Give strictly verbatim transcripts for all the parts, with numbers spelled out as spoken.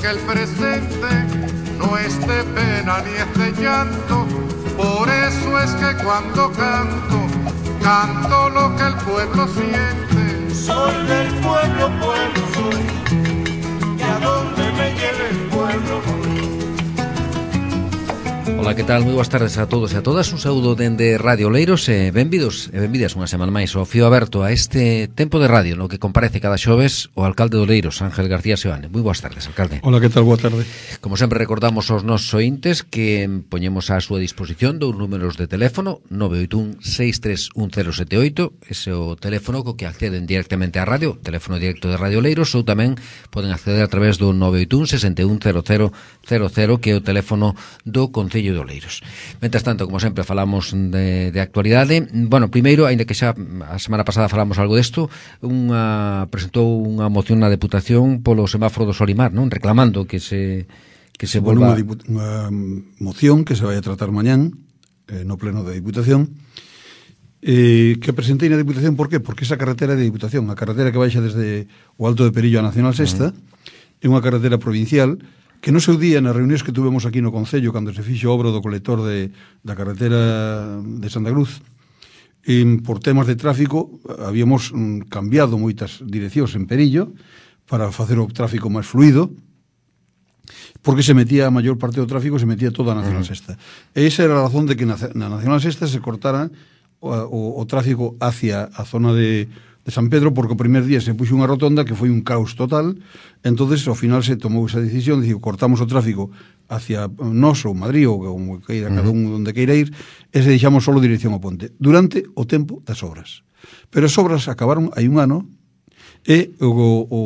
que el presente no es de pena ni es de llanto. Por eso es que cuando canto, canto lo que el pueblo siente. Soy del pueblo, pueblo soy, y a donde me lleve el pueblo voy. Ola, que tal? Moi boas tardes a todos e a todas. Un saúdo dende Radio Oleiros e benvidos e benvidas unha semana máis ao Fío Aberto a este tempo de radio no que comparece cada xoves o alcalde de Oleiros, Ángel García Seoane. Moi boas tardes, alcalde. Ola, que tal? Boa tarde. Como sempre recordamos aos nosos ointes que poñemos á súa disposición dous números de teléfono: nove oito un seis tres un cero sete oito, ese é o teléfono co que acceden directamente á radio, teléfono directo de Radio Oleiros, ou tamén poden acceder a través do nove oito un seis un cero cero cero cero, que é o teléfono do Concello de Oleiros. Mentras tanto, como sempre, falamos de, de actualidade. Bueno, primeiro, aínda que xa a semana pasada falamos algo desto, unha, presentou unha moción na Deputación polo semáforo do Solimar, non? Reclamando que se que se volva... Unha, unha moción que se vai a tratar mañán eh, no pleno da Diputación, eh, que presentei na Diputación. Por qué? Porque esa carretera de Diputación, a carretera que baixa desde o Alto de Perillo a Nacional Sexta, uh-huh. é unha carretera provincial que no seu día, nas reunións que tuvemos aquí no Concello, cando se fixo obra do colector de, da carretera de Santa Cruz, eh, por temas de tráfico, habíamos mm, cambiado moitas direccións en Perillo para facer o tráfico máis fluido, porque se metía a maior parte do tráfico, se metía toda a Nacional Sexta. E esa era a razón de que na, na Nacional Sexta se cortara o, o, o tráfico hacia a zona de... de San Pedro, porque o primer día se puxo unha rotonda que foi un caos total. Entonces ao final se tomou esa decisión, diciu, cortamos o tráfico hacia nós ou Madrid ou como queira, cada un onde queira ir, e se deixamos solo dirección ao ponte durante o tempo das obras. Pero as obras acabaron hai un ano e o, o,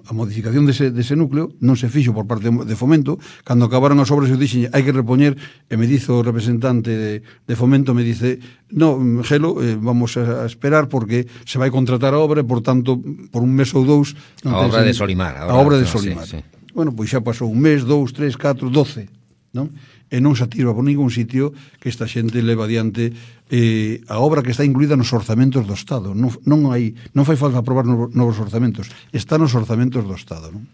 a modificación dese, dese núcleo non se fixo por parte de Fomento. Cando acabaron as obras eu dixen, hai que repoñer, e me dice o representante de, de Fomento, me dice, no, Gelo, eh, vamos a esperar porque se vai contratar a obra e, por tanto, por un mes ou dous... A obra de Solimar. A obra de Solimar. Sí, sí. Bueno, pois xa pasou un mes, dous, tres, catro, doce, non? E non se atira por ningún sitio que esta xente leva adiante eh, a obra que está incluída nos orzamentos do Estado. Non, non, hai, non fai falta aprobar novos orzamentos, está nos orzamentos do Estado, non?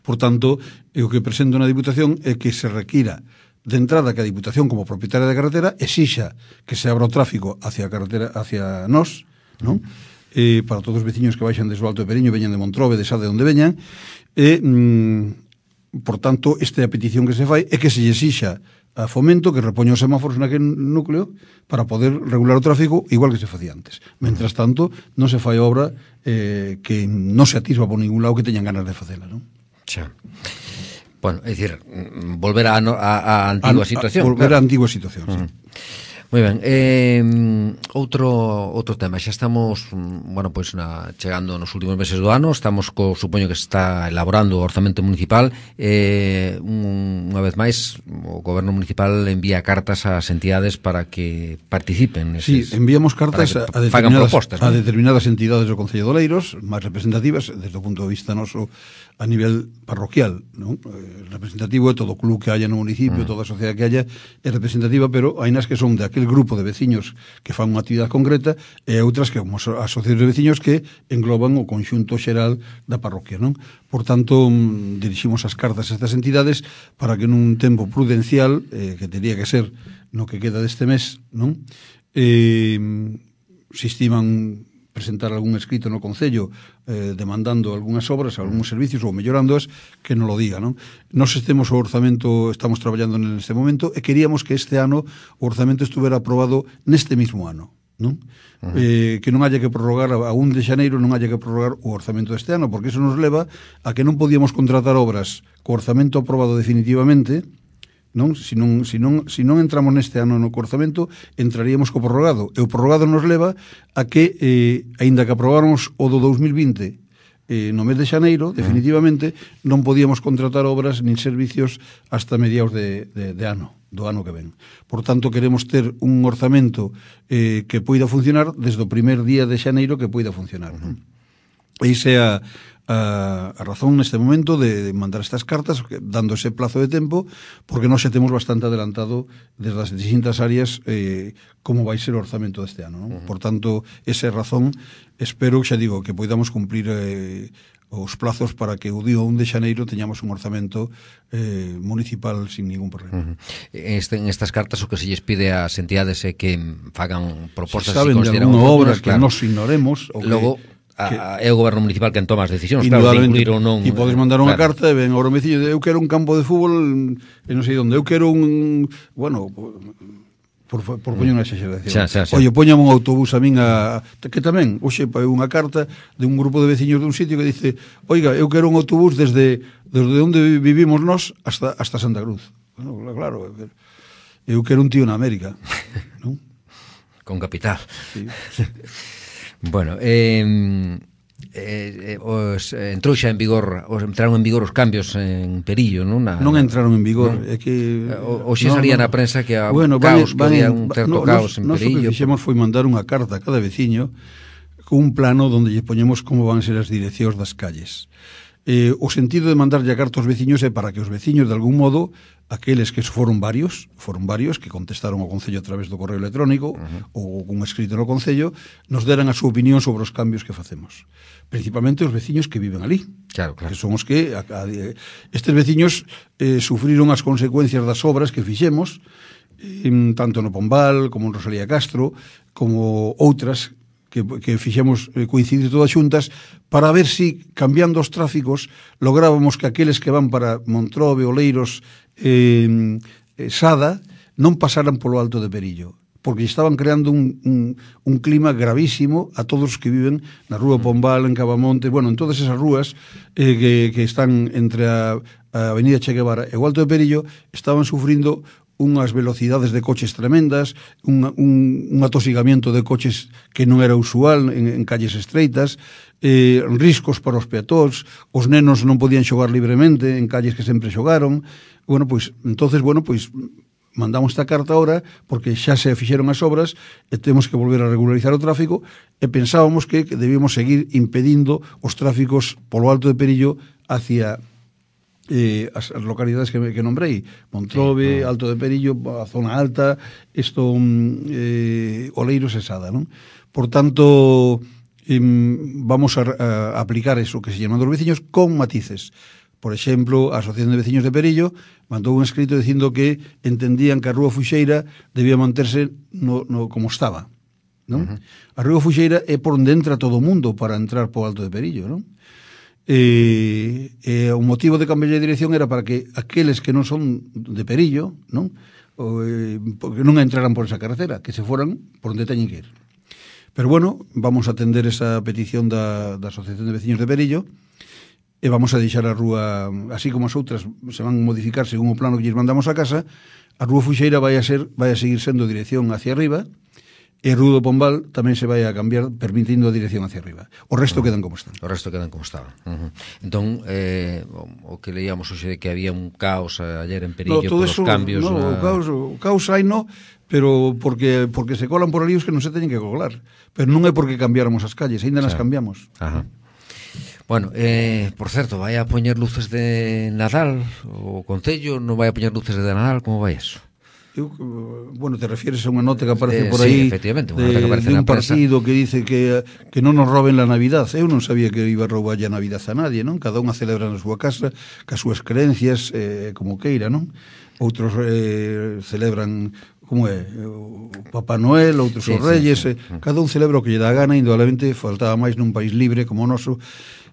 Por tanto, o que presento na Diputación é que se requira de entrada que a Diputación, como propietaria da carretera, exixa que se abra o tráfico hacia a carretera, hacia nós, non? Eh, para todos os veciños que baixan desde o Alto de Periño, veñan de Montrobe, de Sade, onde veñan, e... Mm, por tanto, esta é a petición que se fai, é que se lle exixa a Fomento que repoña os semáforos naquele núcleo para poder regular o tráfico igual que se facía antes. Mentras tanto, non se fai obra eh, que non se atisba por ningún lado que teñan ganas de facela, non? Xa. Bueno, é dicir, volver a, a, a antigua a, situación. A, volver claro. a antigua situación, uh-huh. sí. Moi ben, eh, outro outro tema, xa estamos, bueno, pois na, chegando nos últimos meses do ano, estamos co, supoño que se está elaborando o orzamento municipal, eh, un, unha vez máis o goberno municipal envía cartas ás entidades para que participen neses, sí, enviamos cartas a, a, determinadas, propostas, ¿no? a determinadas entidades do Concello de Oleiros, máis representativas desde o punto de vista noso a nivel parroquial, ¿no? Eh, representativo é todo o club que haya no municipio, mm. toda a sociedade que haya é representativa, pero hai nas que son de aquel grupo de veciños que fan unha actividade concreta e outras que como as asociacións de veciños que engloban o conxunto xeral da parroquia, non? Por tanto, diriximos as cartas a estas entidades para que nun tempo prudencial, eh, que teria que ser no que queda deste mes, non? Eh, se estiman presentar algún escrito no Concello eh, demandando algunhas obras, algúns servicios ou mellorándoas, que non lo diga, non? Nos estemos o orzamento, estamos traballando neste momento e queríamos que este ano o orzamento estuvera aprobado neste mismo ano, non? Uh-huh. Eh, que non haya que prorrogar a un de xaneiro, non haya que prorrogar o orzamento deste ano, porque iso nos leva a que non podíamos contratar obras co orzamento aprobado definitivamente, non? Se non, se non, se non entramos neste ano no orzamento, entraríamos co prorrogado. E o prorrogado nos leva a que, eh, aínda que aprobáramos o do dous mil vinte eh, no mes de xaneiro, definitivamente, non podíamos contratar obras nin servicios hasta mediados de, de, de ano, do ano que ven. Por tanto, queremos ter un orzamento eh, que poida funcionar desde o primer día de xaneiro que poida funcionar. Uh-huh. E iso é a a, a razón neste momento de, de mandar estas cartas dando ese plazo de tempo, porque nós xa temos bastante adelantado desde as distintas áreas eh, como vai ser o orzamento deste ano, non? Uh-huh. Por tanto, esa é a razón. Espero, xa digo, que poidamos cumplir eh, os plazos para que o día un de xaneiro teñamos un orzamento eh, municipal sin ningún problema. Uh-huh. Este, en estas cartas o que se lles pide ás entidades é que fagan propostas se saben si de alguna obra que claro. nos ignoremos ou logo que, a, é o goberno municipal quen toma as decisións, claro, de incluir ou non. E podes mandar unha claro. carta e ven ao domicilio de eu quero un campo de fútbol e non sei onde, eu quero un, bueno, por, por poñer unha exageración. Xa, xa, xa. Oye, poñame un autobús a min a, que tamén, hoxe unha carta de un grupo de veciños dun sitio que dice, oiga, eu quero un autobús desde desde onde vivimos nós hasta hasta Santa Cruz. Bueno, claro, eu quero un tío na América, non? Con capital. Sí. Bueno, eh, eh, os, eh, entrou xa en vigor, os entraron en vigor os cambios en Perillo, non? Na, non entraron en vigor, non? é que o, o xe no, salía no. na prensa que a bueno, caos, van, van que había en, un certo no, caos nos, en Perillo. Nos o que fixemos foi mandar unha carta a cada veciño con un plano onde lle poñemos como van ser as direccións das calles. Eh, o sentido de mandarlle a carta aos veciños é para que os veciños, de algún modo, aqueles que foron varios, foron varios que contestaron ao Concello a través do correo electrónico uh-huh. ou un escrito no Concello, nos deran a súa opinión sobre os cambios que facemos. Principalmente os veciños que viven ali. Claro, claro. Que son os que a, a, estes veciños eh, sufriron as consecuencias das obras que fixemos, eh, tanto no Pombal como en Rosalía Castro, como outras que, que fixemos eh, coincidir todas xuntas para ver si, cambiando os tráficos, lográbamos que aqueles que van para Montrobe, Oleiros, eh, eh, Sada, non pasaran polo Alto de Perillo, porque estaban creando un, un, un clima gravísimo a todos os que viven na Rúa Pombal, en Cabamonte, bueno, en todas esas rúas eh, que, que están entre a, a Avenida Che Guevara e o Alto de Perillo, estaban sufrindo unhas velocidades de coches tremendas, un, un, un atosigamiento de coches que non era usual en, en calles estreitas, eh, riscos para os peatóns, os nenos non podían xogar libremente en calles que sempre xogaron. Bueno, pois, entonces, bueno, pois, mandamos esta carta ahora porque xa se fixeron as obras e temos que volver a regularizar o tráfico e pensábamos que debíamos seguir impedindo os tráficos polo Alto de Perillo hacia eh, as, as localidades que, que nombrei, Montrobe, sí, Alto de Perillo, a zona alta, isto eh, Oleiros e Sada, non? Por tanto, eh, vamos a, a aplicar eso que se llaman dos veciños con matices. Por exemplo, a Asociación de Veciños de Perillo mandou un escrito dicindo que entendían que a Rúa Fuxeira debía manterse no, no, como estaba, non? Uh-huh. A Rúa Fuxeira é por onde entra todo o mundo para entrar po Alto de Perillo, non? E, e o motivo de cambiar de dirección era para que aqueles que non son de Perillo, non? O, eh, porque non entraran por esa carretera, que se foran por onde teñen que ir. Pero bueno, vamos a atender esa petición da, da Asociación de Veciños de Perillo e vamos a deixar a rúa, así como as outras se van a modificar según o plano que lles mandamos a casa, a Rúa Fuxeira vai a ser, vai a seguir sendo dirección hacia arriba, e a Rúa do Pombal tamén se vai a cambiar permitindo a dirección hacia arriba. O resto uh-huh. quedan como están. O resto quedan como estaban. Uh-huh. Entón, eh, o, o que leíamos hoxe de que había un caos ayer en Perillo no, por os cambios... No, na... o caos, o caos hai no, pero porque porque se colan por ali os que non se teñen que colar. Pero non é porque cambiáramos as calles, ainda nas claro. cambiamos. Ajá. Bueno, eh, por certo, vai a poñer luces de Nadal? O Concello non vai a poñer luces de Nadal? Como vai eso? Eu, bueno, te refieres a unha nota que aparece eh, por aí sí, efectivamente, unha de, nota que aparece de un na prensa. partido que dice que, que non nos roben la Navidad. Eu non sabía que iba a roubar a Navidad a nadie, non? Cada unha celebra na súa casa, cas súas creencias, eh, como queira, non? Outros eh, celebran, como é, o Papá Noel, outros sí, os Reyes, sí, sí. Eh, cada un celebra o que lle dá gana, indudablemente faltaba máis nun país libre como o noso.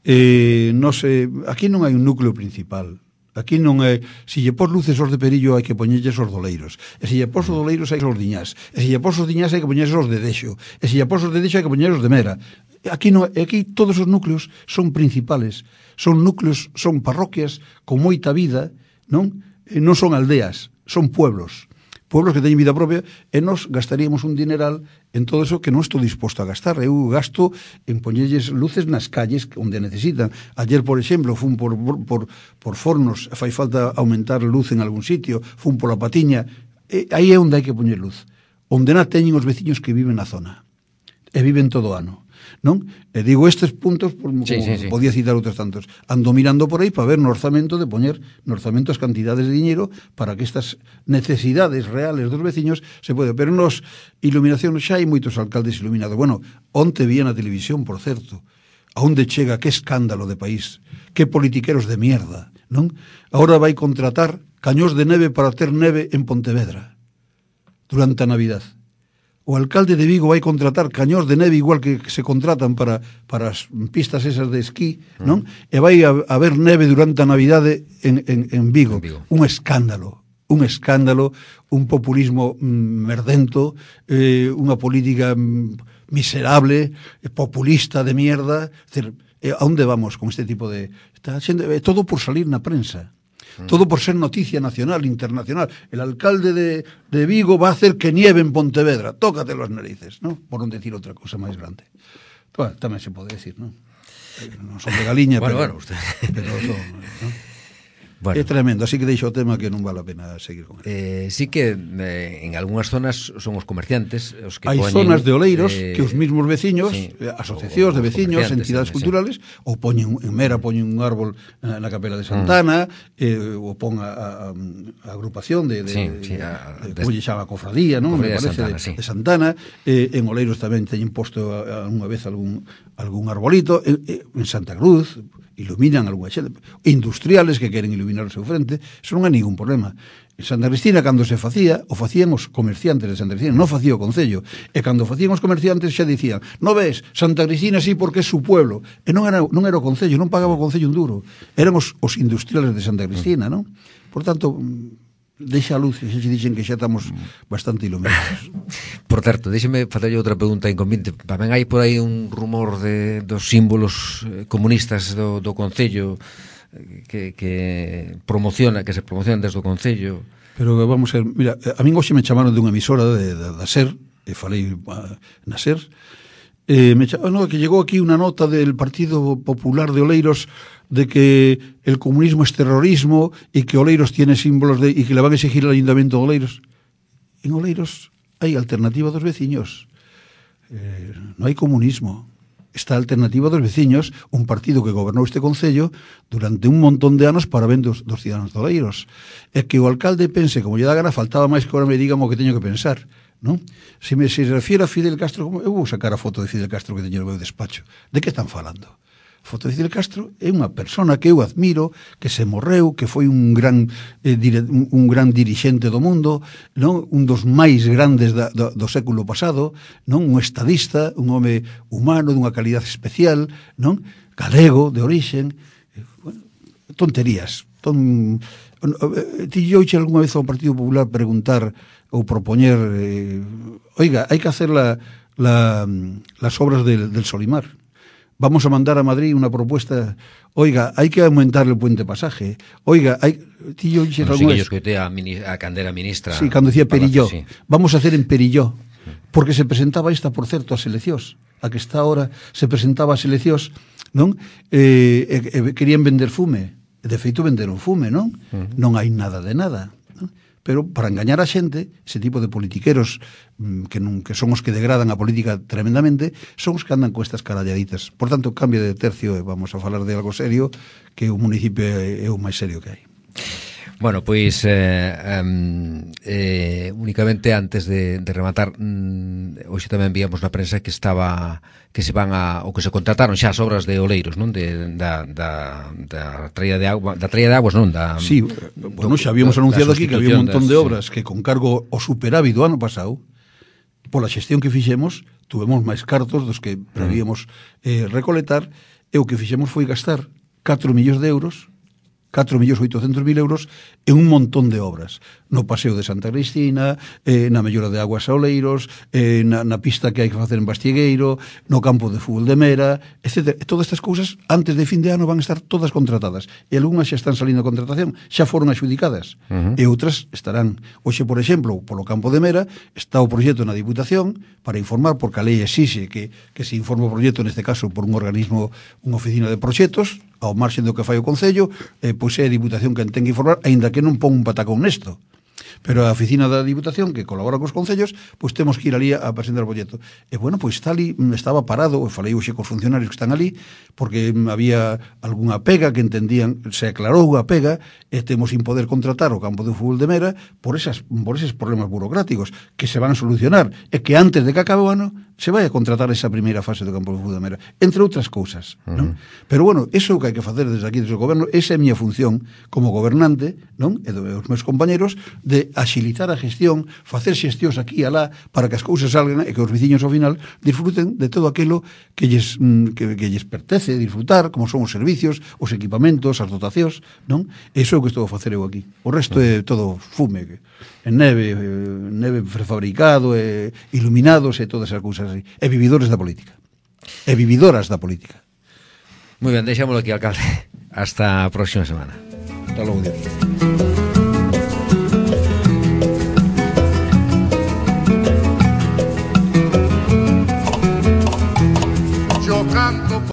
Eh, non sei, aquí non hai un núcleo principal. Aquí non é, se lle pos luces os de Perillo hai que poñelles os doleiros, e se lle pos os doleiros hai que os diñás, e se lle pos os diñás hai que poñelles os de Dexo, e se lle pos os de Dexo hai que poñelles os de Mera. Aquí non, aquí todos os núcleos son principales, son núcleos, son parroquias con moita vida, non? E non son aldeas, son pueblos. Pueblos que teñen vida propia, e nos gastaríamos un dineral en todo eso que non estou disposto a gastar. Eu gasto en poñelles luces nas calles onde necesitan. Ayer, por exemplo, fun por, por, por Fornos, fai falta aumentar luz en algún sitio, fun pola Patiña, e aí é onde hai que poñer luz. Onde na teñen os veciños que viven na zona. E viven todo o ano. Non? E digo estes puntos como, sí, como sí, sí. podía citar outros tantos. Ando mirando por aí para ver no orzamento de poñer no orzamento as cantidades de dinero para que estas necesidades reales dos veciños se pode. Pero nos iluminación xa hai moitos alcaldes iluminados. Bueno, onte vía na televisión, por certo, a onde chega, que escándalo de país, que politiqueros de mierda, non? Agora vai contratar cañós de neve para ter neve en Pontevedra durante a Navidad. O alcalde de Vigo vai contratar cañós de neve igual que se contratan para, para as pistas esas de esquí, non? Mm. E vai a, a haber neve durante a Navidade en, en, en, Vigo. en Vigo. Un escándalo, un escándalo, un populismo mm, merdento, eh, unha política mm, miserable, eh, populista de mierda. Es decir, eh, a onde vamos con este tipo de... Está xente, eh, todo por salir na prensa. Todo por ser noticia nacional, internacional. El alcalde de, de Vigo va a hacer que nieve en Pontevedra. Tócate las narices, ¿no? Por non decir outra cosa máis grande. Bueno, tamén se pode decir, ¿no? Non son de Galiña, bueno, pero... Bueno, usted... pero son, ¿no? Bueno. É tremendo, así que deixo o tema que non vale a pena seguir con ele. Eh, sí que eh, en algunhas zonas son os comerciantes os que hai poñen, zonas de oleiros eh, que os mismos veciños, sí, asociacións de veciños, entidades sí, culturales, sí. ou poñen en Mera poñen un árbol na, na capela de Santana, mm. eh, ou pon a, a, a agrupación de, de, sí, sí, a, de, de, de chama cofradía, non? Me parece, de Santana, de, sí. de Santana, eh, en Oleiros tamén teñen posto unha vez algún algún arbolito, eh, eh, en Santa Cruz iluminan algunha xente, industriales que queren iluminar o seu frente, eso non é ningún problema. En Santa Cristina, cando se facía, o facían os comerciantes de Santa Cristina, non facía o Concello, e cando facían os comerciantes xa dicían, no ves, Santa Cristina sí porque é su pueblo, e non era, non era o Concello, non pagaba o Concello un duro, eran os, os industriales de Santa Cristina, non? Por tanto, deixa a luz, xa se dixen que xa estamos bastante iluminados. Por certo, déxeme facerlle outra pregunta inconveniente. Tamén hai por aí un rumor de dos símbolos comunistas do, do Concello que, que promociona, que se promocionan desde o Concello. Pero vamos a ver, mira, a min hoxe me chamaron dunha emisora de, de, da SER, e falei uh, na SER, eh, me chamaron, no, que llegou aquí unha nota del Partido Popular de Oleiros de que el comunismo es terrorismo y que Oleiros tiene símbolos de, y que le van a exigir al Ayuntamiento de Oleiros. En Oleiros hai alternativa dos veciños. Eh, non hai comunismo. Está a alternativa dos veciños, un partido que gobernou este concello durante un montón de anos para ben dos, dos cidadanos de Oleiros. É que o alcalde pense, como lle dá gana, faltaba máis que ahora me digan o que teño que pensar. ¿No? Se me se refiere a Fidel Castro, eu vou sacar a foto de Fidel Castro que teño no meu despacho. De que están falando? Foto de Fidel Castro é unha persona que eu admiro, que se morreu, que foi un gran eh, dire, un, un gran dirixente do mundo, non? Un dos máis grandes da, do, do século pasado, non? Un estadista, un home humano dunha calidad especial, non? Galego, de orixen, eh, bueno, tonterías. Ton, eh, ti yo oixe algunha vez ao Partido Popular preguntar ou propoñer, eh, oiga, hai que hacer la, la, las obras del, del Solimar. Vamos a mandar a Madrid una propuesta, oiga, hay que aumentar el puente pasaje, oiga, hay... Tío, bueno, sí que yo escuché a, a Candera ministra... Sí, cuando decía Perilló, sí. Vamos a hacer en Perilló, porque se presentaba esta, por certo, a seleccións, a que está ahora se presentaba a seleccións, non? Eh, eh, querían vender fume, de feito venderon fume, non? Uh -huh. Non hai nada de nada, non? Pero para engañar a xente, ese tipo de politiqueros que, non, que son os que degradan a política tremendamente, son os que andan con estas caralladitas. Por tanto, cambio de tercio e vamos a falar de algo serio, que o municipio é, é o máis serio que hai. Bueno, pois eh, um, eh, únicamente antes de, de rematar, um, hoxe tamén víamos na prensa que estaba que se van a ou que se contrataron xa as obras de Oleiros, non? De da da da traída de agua, da traída de aguas, non? Da Sí, bueno, xa habíamos anunciado aquí que había un montón de obras sí. que con cargo o superávit do ano pasado, pola xestión que fixemos, tuvemos máis cartos dos que prevíamos eh, recoletar, e o que fixemos foi gastar catro millóns de euros catro millóns oitocentos mil euros en un montón de obras. No paseo de Santa Cristina, eh, na mellora de aguas a Oleiros, eh, na, na pista que hai que facer en Bastiegueiro, no campo de fútbol de Mera, etcétera. Todas estas cousas, antes de fin de ano, van a estar todas contratadas. E algunhas xa están salindo a contratación, xa foron adxudicadas. Uh -huh. E outras estarán. Hoxe, por exemplo, polo campo de Mera, está o proxecto na Diputación para informar, porque a lei exixe que, que se informe o proxecto, neste caso, por un organismo, unha oficina de proxectos, ao marxen do que fai o Concello, eh, pois é a Diputación que ten que informar, aínda que non pon un patacón nesto. Pero a oficina da Diputación, que colabora cos concellos, pois temos que ir ali a presentar o proxecto. E, bueno, pois está ali, estaba parado, e falei hoxe cos funcionarios que están ali, porque había algunha pega que entendían, se aclarou a pega, e temos sin poder contratar o campo de fútbol de Mera por, esas, por eses problemas burocráticos que se van a solucionar, e que antes de que acabe o ano se vai a contratar esa primeira fase do campo de fútbol de Mera, entre outras cousas, uh-huh. non? Pero, bueno, eso é o que hai que facer desde aquí, desde o goberno, esa é a miña función como gobernante, non? E dos meus compañeros, de axilizar a gestión, facer xestións aquí e alá para que as cousas salgan e que os veciños ao final disfruten de todo aquilo que lles, que, que lles pertece disfrutar, como son os servicios, os equipamentos, as dotacións, non? Eso é o que estou a facer eu aquí. O resto é todo fume, en neve, neve prefabricado, e iluminados e todas as cousas así. E vividores da política. E vividoras da política. Moi ben, deixámoslo aquí, alcalde. Hasta a próxima semana. Hasta logo, Dios.